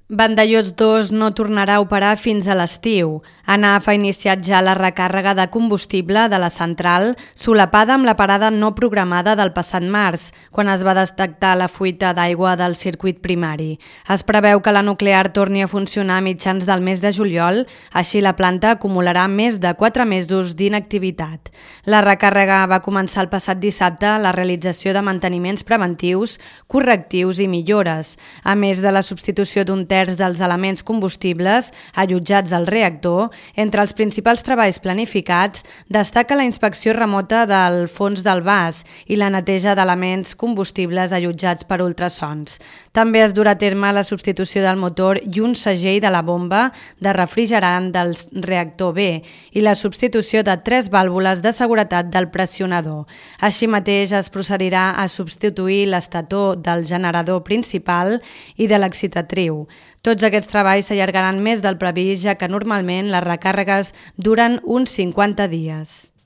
Vandellòs 2 no tornarà a operar fins a l'estiu. ANAF ha iniciat ja la recàrrega de combustible de la central, solapada amb la parada no programada del passat març, quan es va detectar la fuita d'aigua del circuit primari. Es preveu que la nuclear torni a funcionar a mitjans del mes de juliol, així la planta acumularà més de 4 mesos d'inactivitat. La recàrrega va començar el passat dissabte a la realització de manteniments preventius, correctius i millores, a més de la substitució d'un terç dels elements combustibles allotjats al reactor. Entre els principals treballs planificats destaca la inspecció remota del fons del vas i la neteja d'elements combustibles allotjats per ultrasons. També es durà a terme la substitució del motor i un segell de la bomba de refrigerant del reactor B i la substitució de 3 vàlvules de seguretat del pressionador. Així mateix es procedirà a substituir l'estator del generador principal i de l'excitatriu. Tots aquests treballs s'allargaran més del previst, ja que normalment les recàrregues duren uns 50 dies.